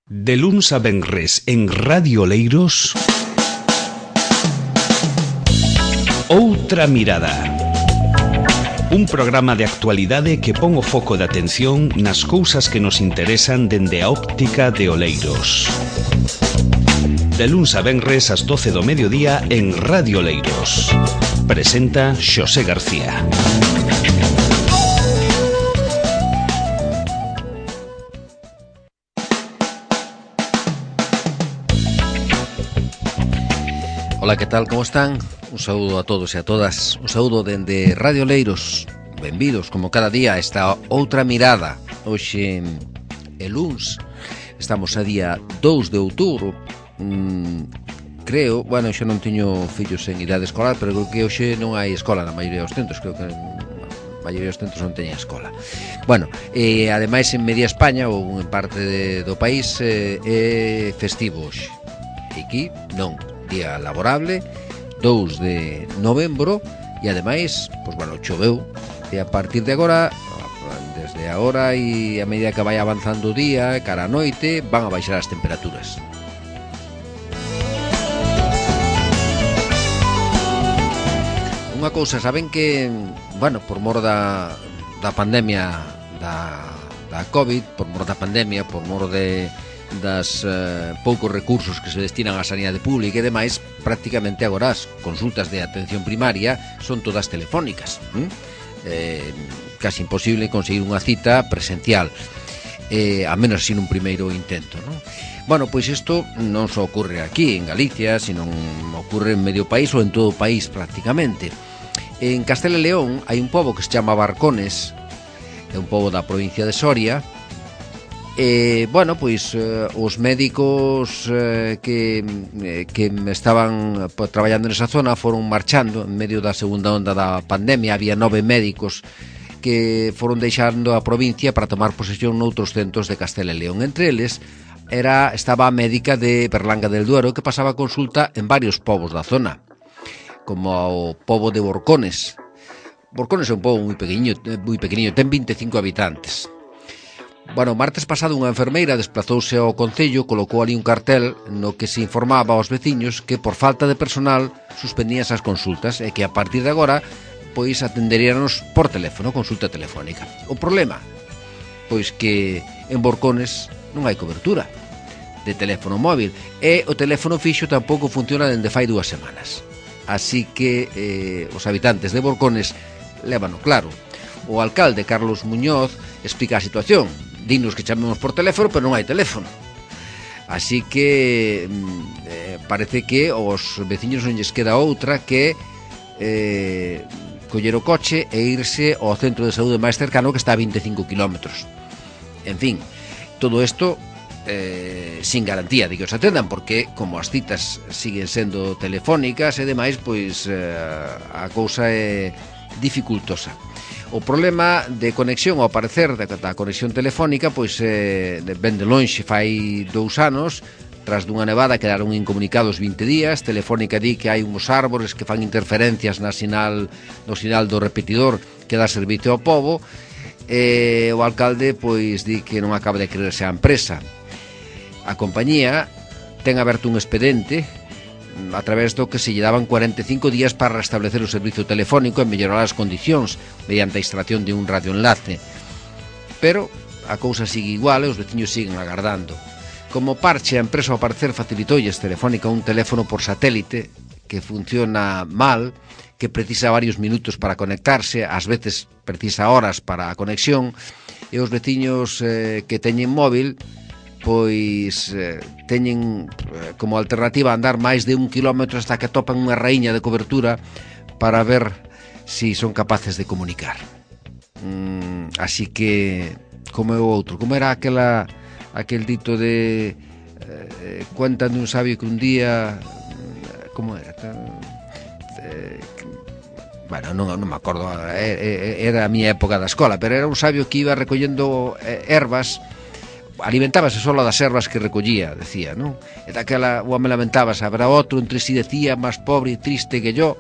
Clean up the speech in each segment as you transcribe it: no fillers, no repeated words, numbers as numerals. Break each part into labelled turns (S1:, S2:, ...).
S1: De luns a venres en Radio Oleiros, Outra Mirada. Un programa de actualidade que pon o foco de atención nas cousas que nos interesan dende a óptica de Oleiros. De luns a venres ás 12 do mediodía en Radio Oleiros. Presenta Xosé García.
S2: Ola, que tal, como están? Un saúdo a todos e a todas. Un saúdo dende Radio Oleiros. Benvidos, como cada día, a esta Outra Mirada. Hoxe é luns. Estamos a día 2 de outubro. Creo, bueno, xa non teño fillos en idade escolar, pero creo que hoxe non hai escola na maioría dos centros. Creo que a maioría dos centros non teñen escola. Bueno, ademais en media España ou en parte do país é festivo hoxe. E aquí non, día laborable, 2 de novembro, e ademais, pois bueno, choveu, e a partir de agora, desde agora e a medida que vai avanzando o día, cara a noite, van a baixar as temperaturas. Unha cousa, saben que, bueno, por mor da pandemia da COVID, por mor da pandemia, por mor das poucos recursos que se destinan á sanidade pública e demais, prácticamente agora as consultas de atención primaria son todas telefónicas. Casi imposible conseguir unha cita presencial, a menos sin un primeiro intento, non? Bueno, pois isto non só ocorre aquí en Galicia, sino ocorre en medio país ou en todo o país prácticamente. En Castela e León hai un pobo que se chama Barcones, é un pobo da provincia de Soria. Bueno, pois os médicos que estaban traballando nesa zona foron marchando en medio da segunda onda da pandemia. Había 9 médicos que foron deixando a provincia para tomar posesión noutros centros de Castela e León. Entre eles estaba a médica de Berlanga del Duero, que pasaba consulta en varios povos da zona, como o pobo de Borcones. Borcones é un pobo moi pequeniño, ten 25 habitantes. Bueno, o martes pasado unha enfermeira desplazouse ao concello, colocou ali un cartel no que se informaba aos veciños que por falta de personal suspendían esas consultas e que a partir de agora pois atenderíanos por teléfono, consulta telefónica. O problema, pois que en Borcones non hai cobertura de teléfono móvil e o teléfono fixo tampouco funciona dende fai 2 semanas. Así que os habitantes de Borcones lévano claro. O alcalde Carlos Muñoz explica a situación. Dinos que chamemos por teléfono, pero non hai teléfono. Así que parece que aos veciños non lles queda outra que coller o coche e irse ao centro de saúde máis cercano, que está a 25 kilómetros. En fin, todo isto sin garantía de que os atendan, porque como as citas siguen sendo telefónicas e demais, pois a cousa é dificultosa. O problema de conexión, ao parecer, da conexión telefónica, pois ven de lonxe, fai 2 anos. Tras dunha nevada quedaron incomunicados 20 días. Telefónica di que hai uns árbores que fan interferencias no sinal do repetidor que dá servicio ao pobo. O alcalde pois di que non acaba de creerse a empresa. A compañía ten aberto un expediente a través do que se lle daban 45 días para restablecer o servicio telefónico e mellorar as condicións mediante a instalación de un radioenlace. Pero a cousa sigue igual e os veciños siguen agardando. Como parche, a empresa ao parecer facilitoulles Telefónica un teléfono por satélite que funciona mal, que precisa varios minutos para conectarse, ás veces precisa horas para a conexión, e os veciños que teñen móvil pois teñen como alternativa andar máis de 1 kilómetro hasta que atopan unha raíña de cobertura para ver si son capaces de comunicar. Así que, como é o outro, como era aquel dito de cuentan de un sabio que un día, como era? Bueno, non me acordo, era a miña época da escola, pero era un sabio que iba recollendo ervas, alimentábase solo das ervas que recollía, decía, non? E daquela o home lamentábase, habrá outro entre si decía máis pobre e triste que yo,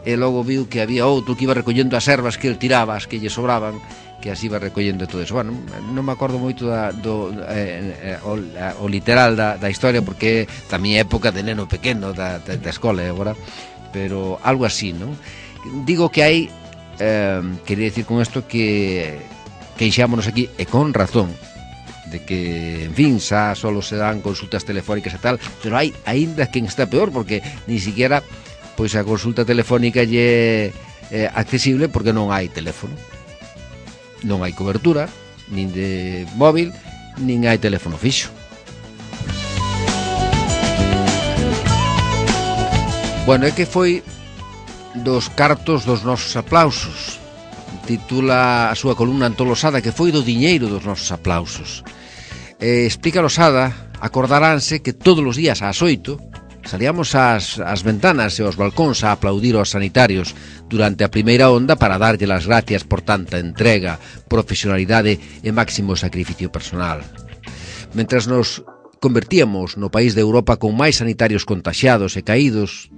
S2: e logo viu que había outro que iba recollendo as ervas que el tiraba, as que lle sobraban, que así va recollendo todo eso. Bueno, non me acordo moito o literal da historia, porque tamén é época de neno pequeno da escola agora, pero algo así, non? Digo que hai, quería decir con isto que queixámonos aquí, e con razón, de que, en fin, xa solo se dan consultas telefónicas e tal, pero hai aínda quen está peor, porque ni siquiera pois a consulta telefónica lle é accesible porque non hai teléfono. Non hai cobertura, nin de móvil, nin hai teléfono fixo. Bueno, é que foi dos cartos dos nosos aplausos. Titula a súa columna Antón Losada que foi do diñeiro dos nosos aplausos. Explica Losada, acordaránse que todos os días ás 8 salíamos ás ventanas e aos balcóns a aplaudir aos sanitarios durante a primeira onda para darlle as gracias por tanta entrega, profesionalidade e máximo sacrificio personal. Mentras nos convertíamos no país de Europa con máis sanitarios contaxiados e caídos,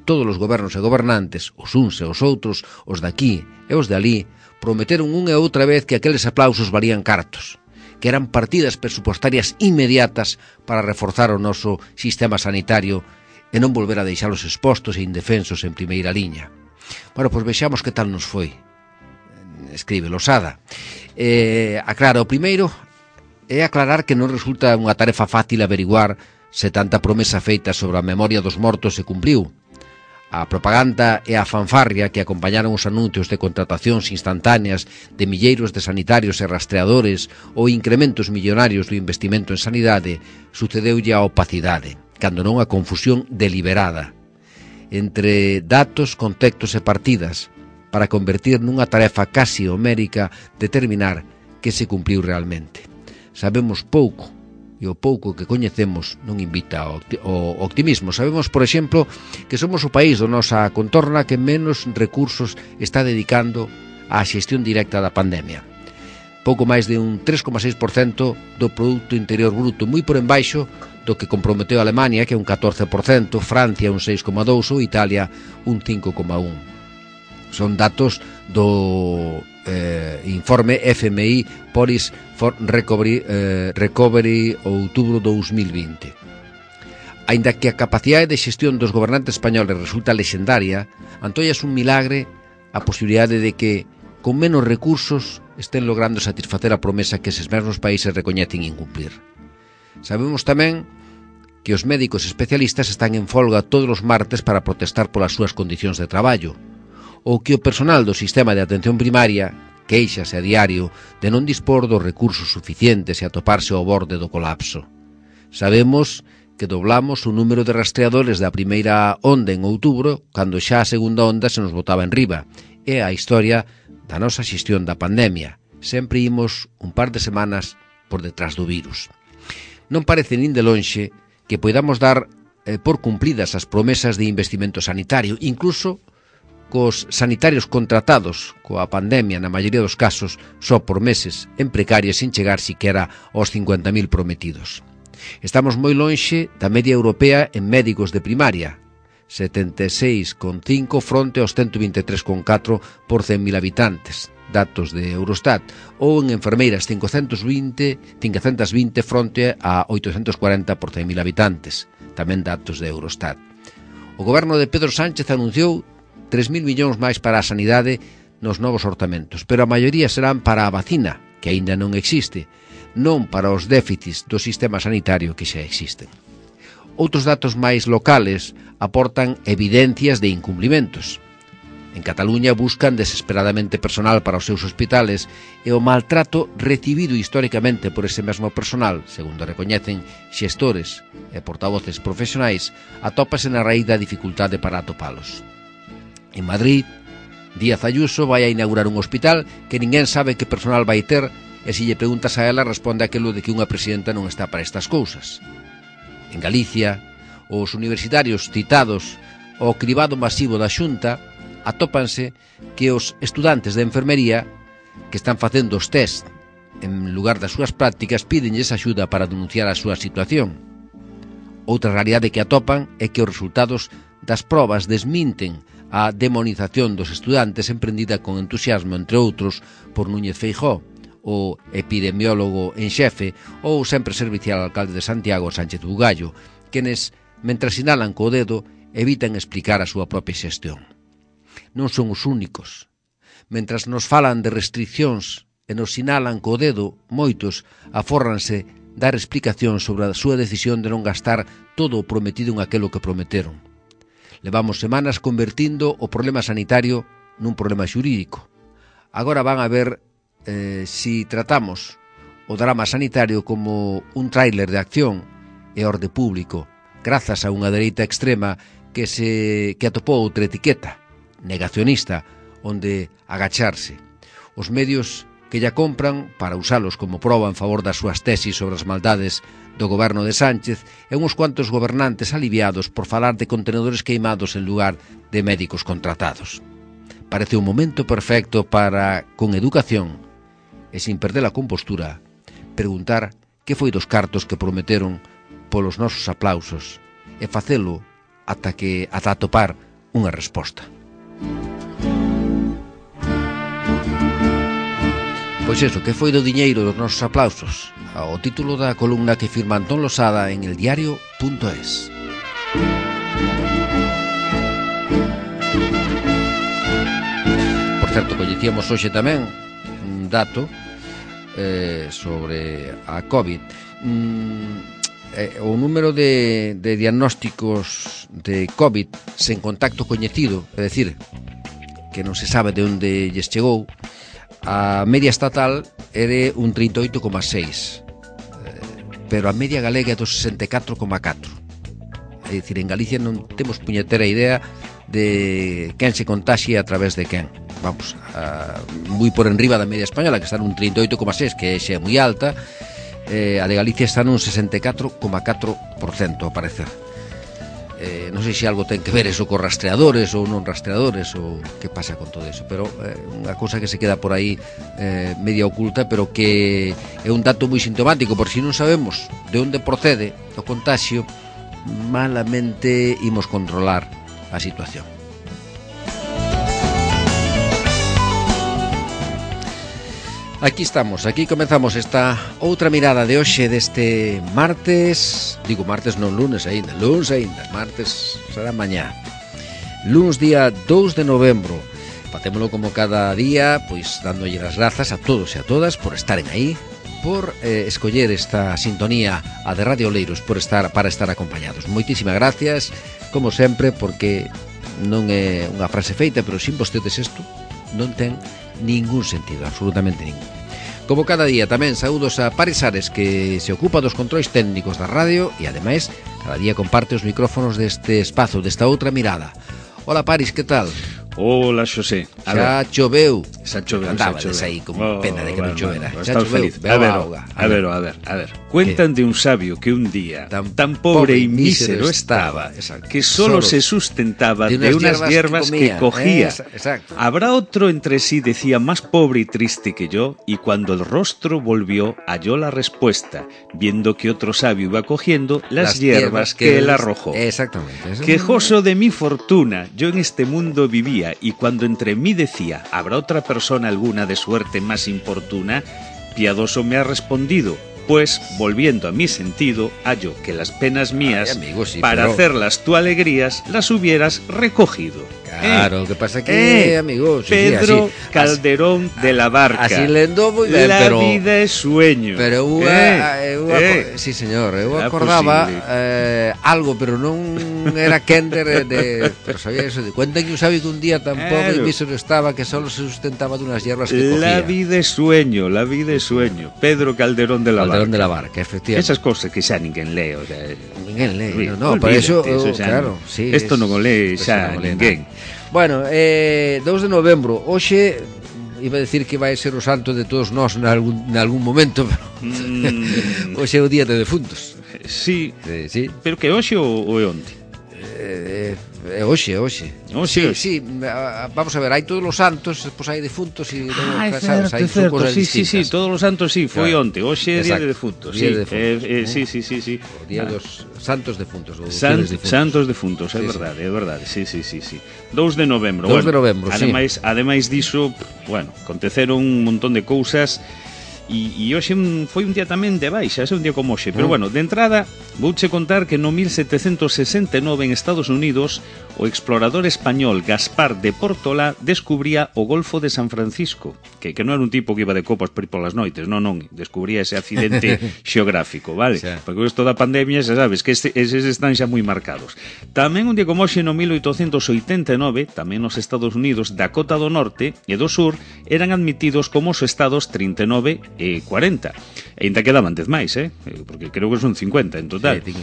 S2: todos os gobernos e gobernantes, os uns e os outros, os daqui e os de alí, prometeron unha e outra vez que aqueles aplausos valían cartos, que eran partidas presupostarias inmediatas para reforzar o noso sistema sanitario e non volver a deixalos expostos e indefensos en primeira liña. Bueno, pois vexamos que tal nos foi. Escribe Losada. Aclara, o primeiro é aclarar que non resulta unha tarefa fácil averiguar se tanta promesa feita sobre a memoria dos mortos se cumpriu. A propaganda e a fanfarria que acompañaron os anuncios de contratacións instantáneas de milleiros de sanitarios e rastreadores ou incrementos millonarios do investimento en sanidade sucedeulle a opacidade, cando non a confusión deliberada entre datos, contextos e partidas para convertir nunha tarefa casi homérica determinar que se cumpriu realmente. Sabemos pouco, e o pouco que coñecemos non invita ao optimismo. Sabemos, por exemplo, que somos o país da nosa contorna que menos recursos está dedicando á xestión directa da pandemia. Pouco máis de un 3,6% do Produto Interior Bruto, moi por embaixo do que comprometeu a Alemania, que é un 14%, Francia un 6,2% ou Italia un 5,1%. Son datos do informe FMI Policy for Recovery outubro 2020. Aínda que a capacidade de xestión dos gobernantes españoles resulta lexendaria, antollas un milagre a posibilidade de que, con menos recursos, estén logrando satisfacer a promesa que eses mesmos países recoñecen incumplir. Sabemos tamén que os médicos especialistas están en folga todos os martes para protestar polas súas condicións de traballo, ou que o personal do sistema de atención primaria queixase a diario de non dispor dos recursos suficientes e atoparse ao borde do colapso. Sabemos que doblamos o número de rastreadores da primeira onda en outubro, cando xa a segunda onda se nos botaba en riba. É a historia da nosa xestión da pandemia. Sempre imos un par de semanas por detrás do virus. Non parece nin de lonxe que poidamos dar por cumpridas as promesas de investimento sanitario, incluso cos sanitarios contratados coa pandemia na maioría dos casos só por meses en precarias sin chegar siquera aos 50.000 prometidos. Estamos moi lonxe da media europea en médicos de primaria, 76,5 fronte aos 123,4 por 100.000 habitantes, datos de Eurostat, ou en enfermeiras 520 fronte a 840 por 100.000 habitantes, tamén datos de Eurostat. O goberno de Pedro Sánchez anunciou 3.000 millóns máis para a sanidade nos novos orzamentos, pero a maioría serán para a vacina, que aínda non existe, non para os déficits do sistema sanitario que xa existen. Outros datos máis locales aportan evidencias de incumplimentos. En Cataluña buscan desesperadamente personal para os seus hospitales e o maltrato recibido históricamente por ese mesmo personal, segundo recoñecen xestores e portavoces profesionais, atópase na raíz da dificultade para atopalos. En Madrid, Díaz Ayuso vai a inaugurar un hospital que ninguén sabe que personal vai ter e se lle preguntas a ela responde aquilo de que unha presidenta non está para estas cousas. En Galicia, os universitarios citados ao cribado masivo da Xunta atópanse que os estudantes de enfermería que están facendo os test en lugar das súas prácticas pídenlles axuda para denunciar a súa situación. Outra realidade que atopan é que os resultados das probas desminten a demonización dos estudantes emprendida con entusiasmo, entre outros, por Núñez Feijóo, o epidemiólogo en xefe, ou sempre servicial alcalde de Santiago, Sánchez Bugallo, quenes, mentras sinalan co dedo, evitan explicar a súa propia xestión. Non son os únicos. Mentras nos falan de restriccións e nos sinalan co dedo, moitos afórranse dar explicacións sobre a súa decisión de non gastar todo o prometido en aquelo que prometeron. Levamos semanas convertindo o problema sanitario nun problema xurídico. Agora van a ver si tratamos o drama sanitario como un tráiler de acción e orde público, grazas a unha dereita extrema que atopou outra etiqueta, negacionista, onde agacharse. Os medios que lla compran para usalos como proba en favor das súas tesis sobre as maldades do goberno de Sánchez e uns cuantos gobernantes aliviados por falar de contenedores queimados en lugar de médicos contratados. Parece un momento perfecto para, con educación e sin perder a compostura, preguntar que foi dos cartos que prometeron polos nosos aplausos e facelo ata atopar unha resposta. Pois eso, que foi do diñeiro dos nosos aplausos? O título da columna que firma Antón Losada en eldiario.es. Por certo, coñecíamos hoxe tamén un dato sobre a COVID. O número de diagnósticos de COVID sen contacto coñecido, é dicir, que non se sabe de onde lles chegou, a media estatal é un 38,6, pero a media galega é do 64,4. É dicir, en Galicia non temos puñetera idea de quen se contaxia a través de quen. Vamos, moi por enriba da media española, que está nun 38,6, que é moi alta. A de Galicia está nun 64,4%, ao parecer. Non sei se algo ten que ver eso con rastreadores ou non rastreadores ou que pasa con todo eso, pero unha cousa que se queda por aí media oculta, pero que é un dato moi sintomático, por si non sabemos de onde procede o contagio, malamente imos controlar a situación. Aquí estamos, aquí comezamos esta outra mirada de hoxe deste martes, digo martes non lunes aínda, martes será mañá. Luns día 2 de novembro, facémolo como cada día, pois dándolle as grazas a todos e a todas por estaren aí, por escoller esta sintonía a de Radio Oleiros, para estar acompañados. Moitísimas gracias, como sempre, porque non é unha frase feita, pero sin vostedes isto non ten ningún sentido, absolutamente ningún. Como cada día tamén saúdos a Paris Ares, que se ocupa dos controis técnicos da radio e ademais cada día comparte os micrófonos deste espazo, desta outra mirada. Hola Paris, que tal?
S3: Hola, Xosé.
S2: Xa choveu.
S3: Xa choveu.
S2: Andabades aí como pena de que non chovera. Xa choveu,
S3: a ver. Cuentan de un sabio que un día tan pobre y mísero estaba que solo se sustentaba de unas hierbas que cogía. Habrá otro entre sí, decía, más pobre y triste que yo, y cuando el rostro volvió halló la respuesta, viendo que otro sabio iba cogiendo las hierbas que él arrojó.
S2: Exactamente.
S3: Quejoso de mi fortuna, yo en este mundo vivía, y cuando entre mí decía, ¿habrá otra persona alguna de suerte más importuna? Piadoso me ha respondido, pues, volviendo a mi sentido, hallo que las penas mías,
S2: amigo, sí,
S3: para hacerlas tu alegrías, las hubieras recogido.
S2: Claro, que pasa que, amigo, sí,
S3: Pedro
S2: así,
S3: Calderón de la Barca.
S2: Así lendo moi ben,
S3: pero la vida é sueño.
S2: Pero sí, señor, eu acordaba algo, pero non era Kender pero sabía eso de cuentan que un sabio que un día tan pobre y mísero estaba que solo se sustentaba de unas hierbas que cogía.
S3: La vida é sueño. Pedro Calderón de la Barca.
S2: Calderón de la Barca, efectivamente.
S3: Esas cosas que xa ninguén lee, o sea,
S2: ninguén lee, no, para eso, claro, sí.
S3: Isto non o lee xa ninguén.
S2: Bueno, 2 de novembro, hoxe iba a decir que vai ser o santo de todos nós nalgún momento, pero hoxe é o día de defuntos.
S3: Sí, pero que hoxe ou é onte?
S2: Oxe. Sí, vamos a ver, hai todos os santos, despois hai defuntos e
S3: é certo, sí, todos os santos sí, foi onte, hoxe é día de defuntos. Sí,
S2: o día dos santos defuntos,
S3: santos defuntos, é verdade, sí. 2 de novembro.
S2: 2 de novembro,
S3: ademais diso, bueno, aconteceron un montón de cousas. E hoxe foi un día tamén de baixa, é un día como hoxe. Pero bueno, de entrada, vouche contar que no 1769 en Estados Unidos o explorador español Gaspar de Portola descubría o Golfo de San Francisco, que non era un tipo que iba de copas por ir polas noites, non, descubría ese accidente xeográfico, vale? Sí. Porque isto da pandemia, xa sabes, que eses están xa moi marcados. Tamén un día como hoxe no 1889, tamén nos Estados Unidos, Dakota do Norte e do Sur eran admitidos como os estados 39 e 40. E ainda quedaban 10 máis, porque creo que son 50 en total. Sí.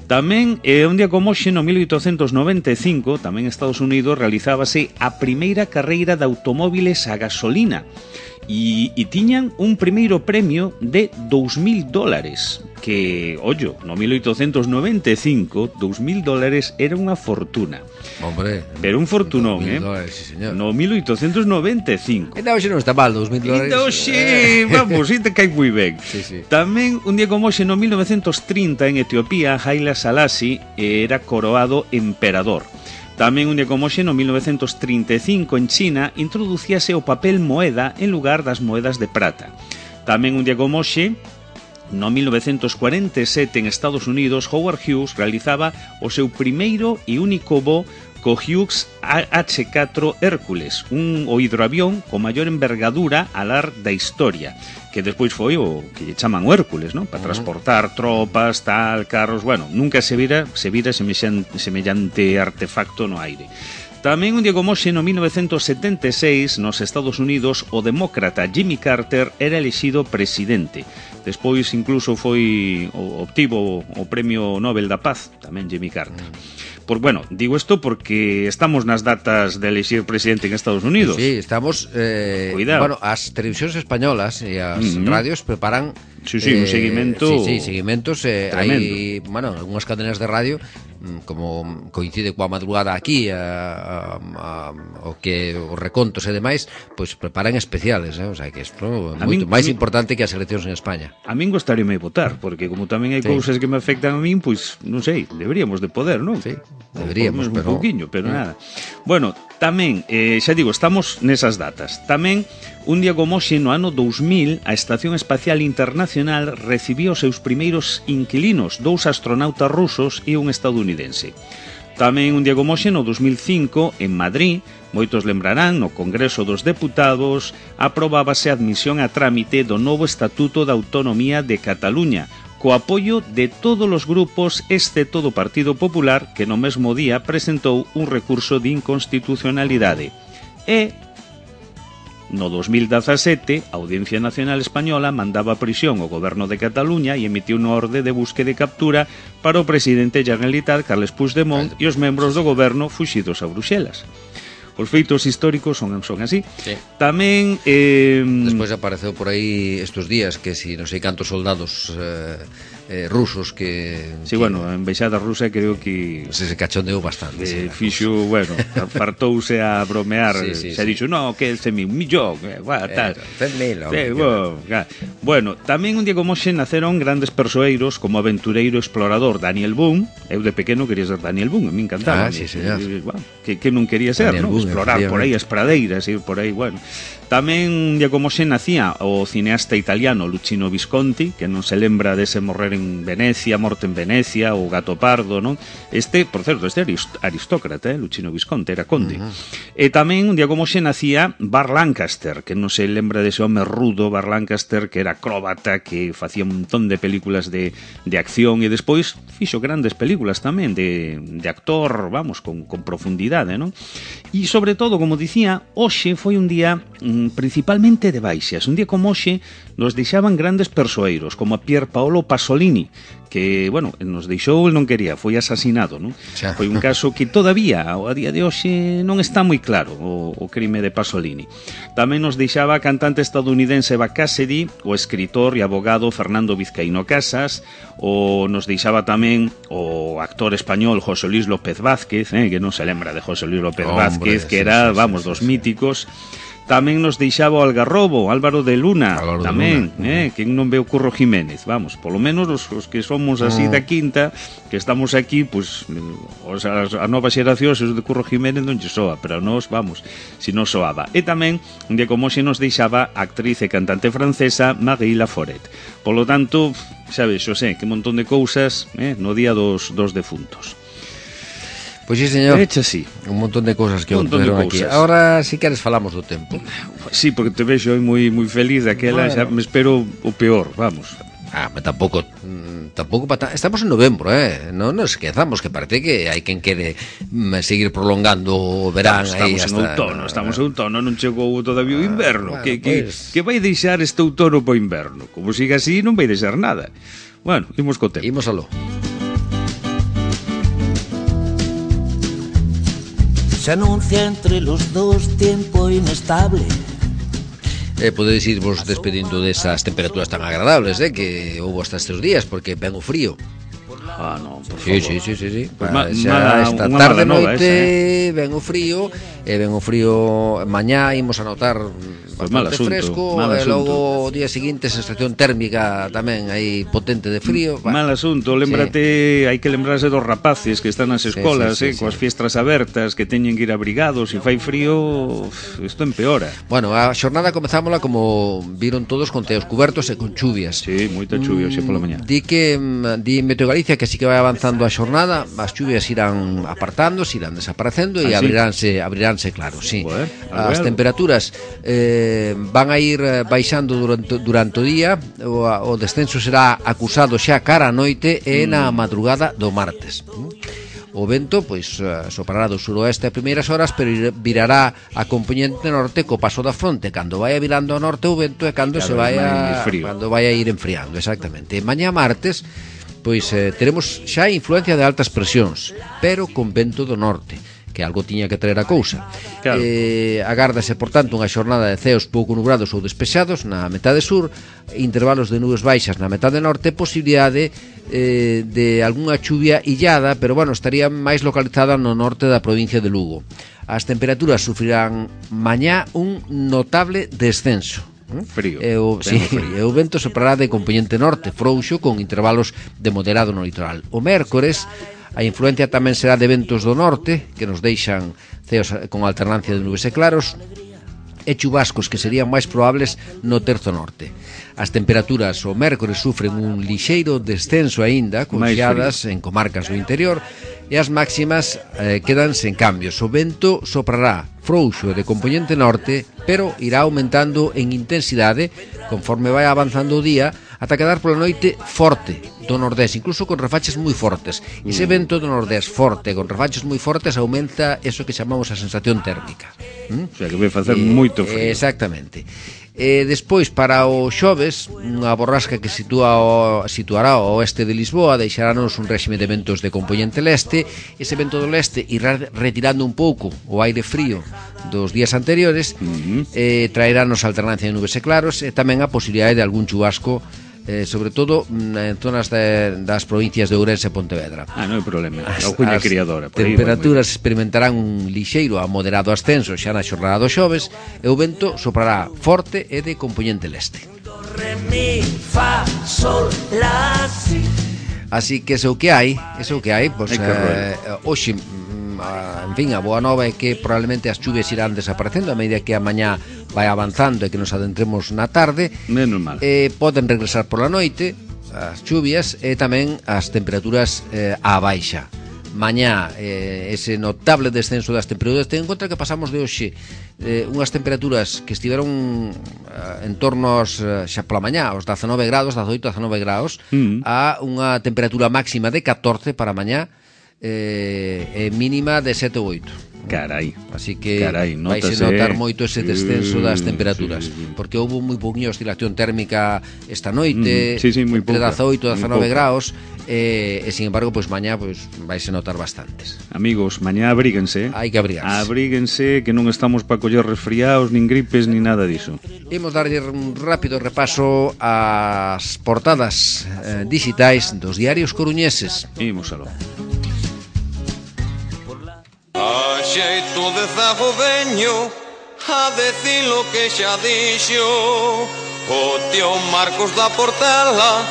S3: Tamén, un día como hoxe, no 1895, tamén en Estados Unidos, realizábase a primeira carreira de automóviles a gasolina. E tiñan un primeiro premio de $2.000, que, ollo, no 1895, $2.000 era unha fortuna.
S2: Hombre,
S3: pero un fortunón,
S2: $2.000, sí, señor.
S3: No 1895.
S2: Ainda hoxe non está mal, $2.000.
S3: Ainda hoxe, vamos, te cai moi ben.
S2: Sí.
S3: Tamén, un día como hoxe, no 1930, en Etiopía, Haile Selassie era coroado emperador. Tamén un día como hoxe, no 1935, en China, introducíase o papel moeda en lugar das moedas de prata. Tamén un día como hoxe, no 1947, en Estados Unidos, Howard Hughes realizaba o seu primeiro e único voo co Hughes H-4 Hércules, o hidroavión con maior envergadura alar da historia, que despois foi o que lle chaman o Hércules, ¿no? Para transportar tropas, carros, bueno, nunca se vira semellante artefacto no aire. Tamén un día como hoxe, no 1976, nos Estados Unidos, o demócrata Jimmy Carter era elexido presidente. Despois incluso obtivo o Premio Nobel da Paz, tamén Jimmy Carter. Bueno, digo isto porque estamos nas datas de elexir presidente en Estados Unidos.
S2: Sí, estamos... bueno, as televisións españolas e as radios preparan...
S3: Sí, un seguimento...
S2: Sí, seguimentos. Hai, bueno, algunhas cadenas de radio, como coincide coa madrugada aquí, o que os recontos e demais, pois preparan especiales, o sea, que isto é moito máis importante que as eleccións en España.
S3: A min gostaríame votar, porque como tamén hai cousas que me afectan a min, pois, non sei, deberíamos de poder, non?
S2: Sí. Deberíamos, pero...
S3: Un pouquiño, pero nada. Bueno, tamén, xa digo, estamos nesas datas. Tamén, un día como hoxe, no ano 2000, a Estación Espacial Internacional recibiu os seus primeiros inquilinos, 2 astronautas rusos e un estadounidense. Tamén, un día como hoxe, no 2005, en Madrid, moitos lembrarán, no Congreso dos Deputados, aprobábase a admisión a trámite do novo Estatuto de Autonomía de Cataluña, co apoio de todos os grupos excepto do Partido Popular, que no mesmo día presentou un recurso de inconstitucionalidade. E, no 2017, a Audiencia Nacional Española mandaba a prisión ao Goberno de Cataluña e emitiu unha orde de búsqueda e captura para o presidente Generalitat, Carles Puigdemont, e os membros do Goberno fuxidos a Bruxelas. Os feitos históricos son así.
S2: Sí.
S3: Tamén...
S2: Despois apareceu por aí estes días que si non sei cantos soldados rusos que...
S3: Sí, bueno, a embaixada rusa creo que...
S2: Se cachondeou bastante.
S3: Fixo, bueno, fartouse a bromear. Se dixo, no, que 100.000, un millón, tal.
S2: 100.000.
S3: Bueno, tamén un día como hoxe naceron grandes persoeiros como aventureiro explorador Daniel Boone. Eu de pequeno quería ser Daniel Boone, a mí encantaba.
S2: Sí, señor.
S3: Que non quería ser, ¿no? Explorar por aí as pradeiras, ir por aí, bueno. Tamén un día como hoxe nacía o cineasta italiano Luchino Visconti, que non se lembra dese morrer en Venecia, morte en Venecia, o Gato Pardo, non? Por certo, aristócrata, Luchino Visconti, era conde. E tamén un día como hoxe nacía Burt Lancaster, que non se lembra dese home rudo, Burt Lancaster, que era acróbata, que facía un montón de películas de acción e despois fixo grandes películas tamén de actor, vamos, con profundidade, non? E sobre todo, como dicía, hoxe foi un día principalmente de baixas. Un día como hoxe nos deixaban grandes persoeiros, como a Pier Paolo Pasolini, que, bueno, nos deixou, el non quería, foi asasinado, non? Foi un caso que todavía, a día de hoxe, non está moi claro, o crime de Pasolini. Tamén nos deixaba a cantante estadounidense Eva Cassidy, o escritor e abogado Fernando Vizcaíno Casas, o nos deixaba tamén o actor español José Luis López Vázquez, que non se lembra de José Luis López Vázquez, que era, vamos, dos míticos. Tamén nos deixaba o Algarrobo, Álvaro de Luna, tamén, que non ve o Curro Jiménez, vamos, polo menos os que somos así da quinta, que estamos aquí, pues, a nova xeración, se os de Curro Jiménez non lle soa, pero nós, vamos, si non soaba. E tamén, un día como xe nos deixaba a actriz e cantante francesa Marie Laforet. Polo tanto, sabes, Xosé, que montón de cousas no día dos defuntos.
S2: Pois sí, señor.
S3: Hecha así.
S2: Un montón de cousas que aconteceron aquí. Ahora, si queres, falamos do tempo.
S3: Sí, porque te vexo moi feliz daquela, xa me espero o peor, vamos.
S2: Mas tampouco estamos en novembro, non nos esquezamos que parece que hai quen quere seguir prolongando o verán.
S3: Estamos en outono, non chegou todavía o inverno, que vai deixar este outono para o inverno. Como siga así, non vai deixar nada. Bueno, imos co tempo.
S2: Imos aló.
S4: Se anuncia entre los dos tiempo inestable.
S2: Podedes irvos despedindo desas temperaturas tan agradables que houve hasta estes días, porque ven o frío.
S3: Non, por favor.
S2: Sí. Xa esta tarde noite ven o frío, mañá imos a notar bastante fresco, e logo o día seguinte sensación térmica tamén aí potente de frío.
S3: Mal asunto, lembrate, hai que lembrarse dos rapaces que están nas escolas, coas fiestras abertas, que teñen que ir abrigados, e fai frío, isto empeora.
S2: Bueno, a xornada comezámola como viron todos con teos cubertos e con chuvias.
S3: Sí, moita chuvia hoxe pola mañá.
S2: Di Meteo Galicia que así que vai avanzando a xornada, as chuvias irán apartándose, irán desaparecendo e abriránse, claro, sí. As temperaturas van a ir baixando durante o día, o descenso será acusado xa cara a noite e na madrugada do martes. O vento, pois, soprará do suroeste a primeiras horas, pero virará a componente norte co paso da fronte. Cando vai virando ao norte o vento é cando se vai a ir enfriando, exactamente. Mañá martes, pois teremos xa influencia de altas presións, pero con vento do norte, que algo tiña que traer a cousa. Claro. Agárdase, por tanto, unha xornada de ceos pouco nubrados ou despexados na metade sur, intervalos de nubes baixas na metade norte, posibilidade de algunha chuvia illada, pero bueno, estaría máis localizada no norte da provincia de Lugo. As temperaturas sufrirán mañá un notable descenso.
S3: Frío.
S2: O vento soprará de componente norte, frouxo, con intervalos de moderado no litoral. O mércores, a influencia tamén será de ventos do norte, que nos deixan ceos con alternancia de nubes e claros, e chubascos que serían máis probables no terzo norte. As temperaturas o mércores sufren un lixeiro descenso aínda, con xeadas en comarcas do interior, e as máximas quedan sen cambios. O vento soprará frouxo de componente norte, pero irá aumentando en intensidade conforme vai avanzando o día, ata quedar pola noite forte do nordés, incluso con refaches moi fortes. Ese vento do nordés forte, con refaches moi fortes, aumenta eso que chamamos a sensación térmica.
S3: O sea, que vai facer moito frío.
S2: Exactamente. Despois, para o xoves, unha borrasca que situará ao oeste de Lisboa deixarános un réxime de ventos de componente leste. Ese vento do leste irá retirando un pouco o aire frío dos días anteriores, traerános alternancia de nubes e claros, e tamén a posibilidade de algún chubasco, sobre todo en zonas das provincias de Ourense e Pontevedra.
S3: Non hai problema, a cuña criadora.
S2: Temperaturas experimentarán un lixeiro a moderado ascenso xa na xornada do xoves, e o vento soprará forte e de componente leste. Así que eso que hai, pois, hoxe, en fin, a boa nova é que probablemente as chuvias irán desaparecendo a medida que a mañá vai avanzando e que nos adentremos na tarde.
S3: Menos mal.
S2: Poden regresar pola noite as chuvias e tamén as temperaturas á baixa. Mañá ese notable descenso das temperaturas. Ten en conta que pasamos de hoxe unhas temperaturas que estiveron en torno aos, xa pola mañá, aos 19 grados, 18 a 19 graus, a unha temperatura máxima de 14 para mañá, mínima de 7 ou 8.
S3: Carai.
S2: Así que vaise notar moito ese descenso das temperaturas, porque houve moi pouquinha oscilación térmica esta noite, entre 18 e 19 graus, e sin embargo, pois mañá vaise notar bastantes.
S3: Amigos, mañá abríguense.
S2: Hai que abrigarse.
S3: Abríguense, que non estamos para coller resfriados, nin gripes, nin nada diso.
S2: Imos darlle un rápido repaso ás portadas digitais dos diarios coruñeses.
S3: Imos aló.
S5: A xeito de zagodeño, a decir lo que xa dixo o tío Marcos da Portela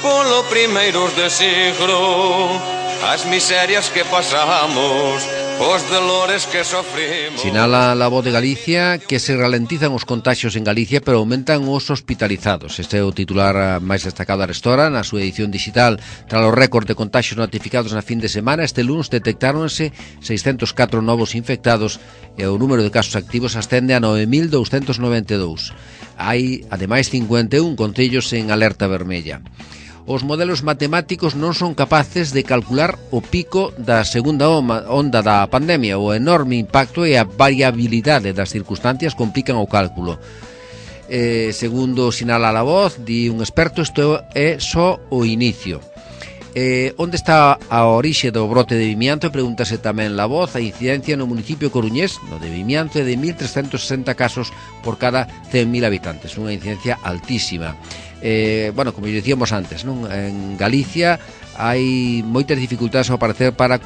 S5: polo primeiros de siglo, as miserias que pasamos, os dolores que sofrimos.
S2: Sinala La Voz de Galicia que se ralentizan os contaxios en Galicia, pero aumentan os hospitalizados. Este é o titular máis destacado da Arestora na súa edición digital. Tras o récord de contaxios notificados na fin de semana, este lunes detectáronse 604 novos infectados e o número de casos activos ascende a 9.292. Hai, ademais, 51 concellos en alerta vermella. Os modelos matemáticos non son capaces de calcular o pico da segunda onda da pandemia. O enorme impacto e a variabilidade das circunstancias complican o cálculo. Segundo sinala La Voz, di un experto, isto é só o inicio. Onde está a orixe do brote de Vimianto? Pregúntase tamén La Voz. A incidencia no municipio coruñés, no de Vimianto, é de 1.360 casos por cada 100.000 habitantes, unha incidencia altísima. Bueno, como dicíamos antes, non? En Galicia hai moitas dificultades ao parecer para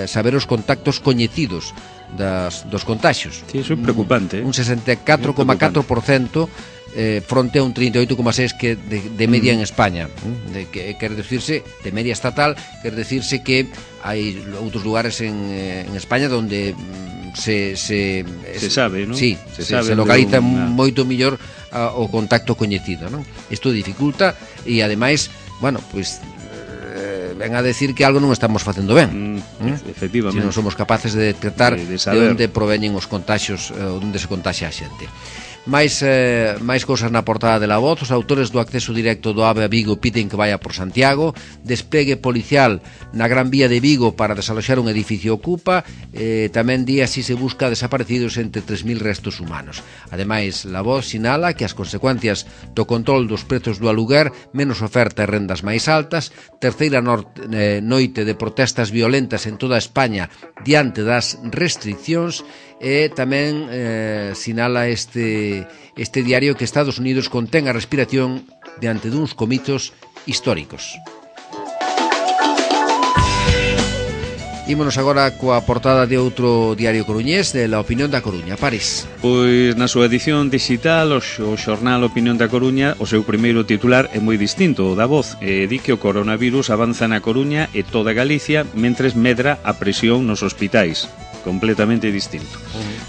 S2: saber os contactos coñecidos dos contaxios.
S3: Sí, iso é preocupante.
S2: Un 64,4% fronte a un 38,6% que de media en España. Quer decirse, de media estatal, quer decirse que hai outros lugares en España onde se
S3: sabe, non?
S2: Sí, se localiza moito mellor o contacto coñecido, non? Isto dificulta e ademais, bueno, pois ven a decir que algo non estamos facendo ben.
S3: Efectivamente.
S2: Se non somos capaces de detectar de onde proveñen os contaxios, onde se contaxia a xente. máis cousas na portada de La Voz. Os autores do acceso directo do AVE a Vigo piden que vaya por Santiago. Despegue policial na Gran Vía de Vigo para desaloxar un edificio ocupa. Tamén di así se busca desaparecidos entre 3.000 restos humanos. Ademais, La Voz sinala que as consecuencias do control dos prezos do aluguer, menos oferta e rendas máis altas, terceira noite de protestas violentas en toda España diante das restriccións. E tamén sinala este diario que Estados Unidos contén a respiración diante duns comizos históricos. Ímonos agora coa portada de outro diario coruñés, de La Opinión da Coruña. París.
S3: Pois na súa edición digital o xornal Opinión da Coruña, o seu primeiro titular é moi distinto ao da Voz. Di que o coronavirus avanza na Coruña e toda Galicia mentres medra a presión nos hospitais. Completamente distinto.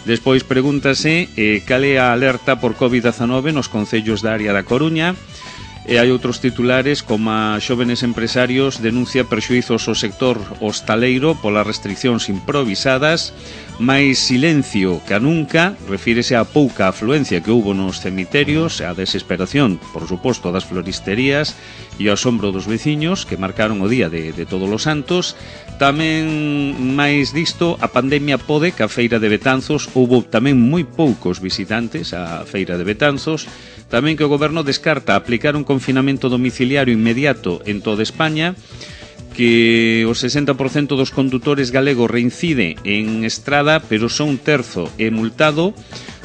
S3: Despois pregúntase cal é a alerta por COVID-19 nos concellos da área da Coruña. E hai outros titulares como a xóvenes empresarios denuncia perxuizos ao sector hostaleiro polas restriccións improvisadas. máis silencio que nunca, refírese á pouca afluencia que houbo nos cemiterios, a desesperación, por suposto, das floristerías e o asombro dos veciños que marcaron o día de Todos os Santos. Tamén máis disto, a pandemia pode que a Feira de Betanzos houbo tamén moi poucos visitantes á Feira de Betanzos. Tamén que o goberno descarta aplicar un confinamento domiciliario inmediato en toda España, que o 60% dos condutores galegos reincide en estrada, pero só un terzo é multado.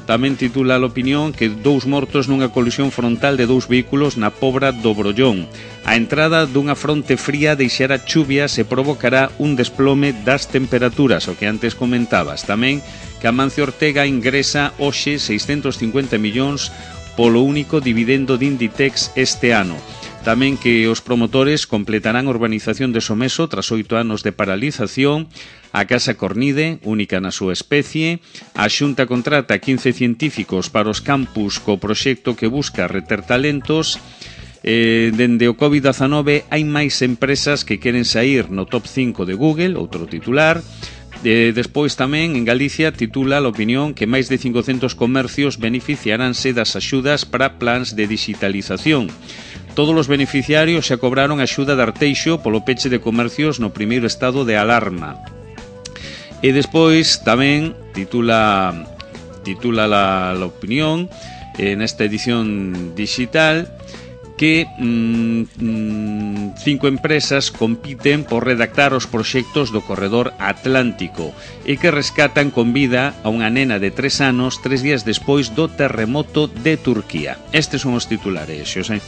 S3: Tamén titula a Opinión que 2 mortos nunha colisión frontal de 2 vehículos na Pobra do Brollón. A entrada dunha fronte fría deixará chuvias e provocará un desplome das temperaturas, o que antes comentabas. Tamén que Amancio Ortega ingresa hoxe 650 millóns polo único dividendo de Inditex este ano. Tamén que os promotores completarán a urbanización de Someso tras 8 anos de paralización. A Casa Cornide, única na súa especie. A Xunta contrata 15 científicos para os campus co proxecto que busca reter talentos. Dende o COVID-19 hai máis empresas que queren sair no top 5 de Google, outro titular. Despois tamén en Galicia titula a Opinión que máis de 500 comercios beneficiaránse das axudas para plans de digitalización. Todos os beneficiarios xa cobraron a axuda de Arteixo polo peche de comercios no primeiro estado de alarma. E despois tamén titula la opinión nesta edición digital que 5 empresas compiten por redactar os proxectos do corredor atlántico e que rescatan con vida a unha nena de 3 anos 3 días despois do terremoto de Turquía. Estes son os titulares, Xosé.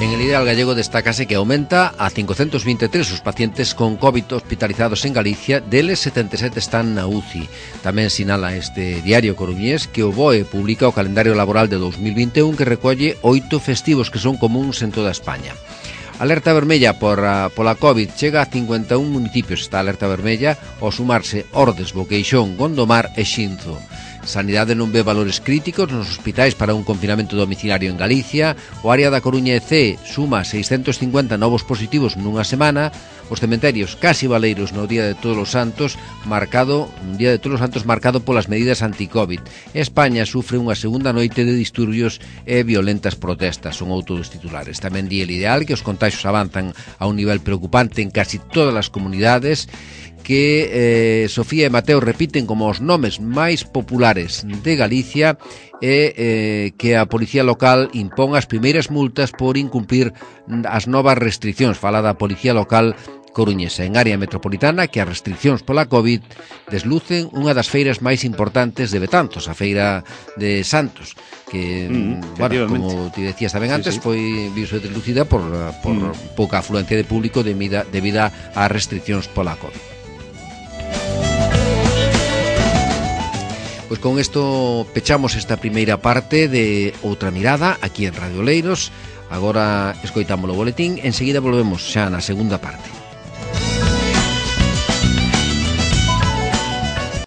S2: En el Ideal Gallego destácase que aumenta a 523 os pacientes con COVID hospitalizados en Galicia, deles 77 están na UCI. Tamén sinala este diario coruñés que o BOE publica o calendario laboral de 2021 que recolle 8 festivos que son comuns en toda España. Alerta vermella pola COVID chega a 51 municipios. Está alerta vermella ao sumarse Ordes, Boqueixón, Gondomar e Xinzo. Sanidade non ve valores críticos nos hospitais para un confinamento domiciliario en Galicia. O área da Coruña e C suma 650 novos positivos nunha semana. Os cementerios casi baleiros no Día de Todos os Santos, marcado polas medidas anti-Covid. España sufre unha segunda noite de disturbios e violentas protestas, son outros titulares. Tamén di el Ideal que os contaxios avanzan a un nivel preocupante en casi todas as comunidades, que Sofía e Mateo repiten como os nomes máis populares de Galicia e que a Policía Local impón as primeiras multas por incumplir as novas restriccións. Fala da Policía Local coruñesa. En área metropolitana que as restriccións pola COVID deslucen unha das feiras máis importantes de Betanzos, a Feira de Santos, que, como te decías tamén antes, foi visto deslucida por pouca afluencia de público debida ás restriccións pola COVID. Pois con isto pechamos esta primeira parte de Outra Mirada aquí en Radio Oleiros. Agora escoitamos o boletín, enseguida volvemos xa na segunda parte.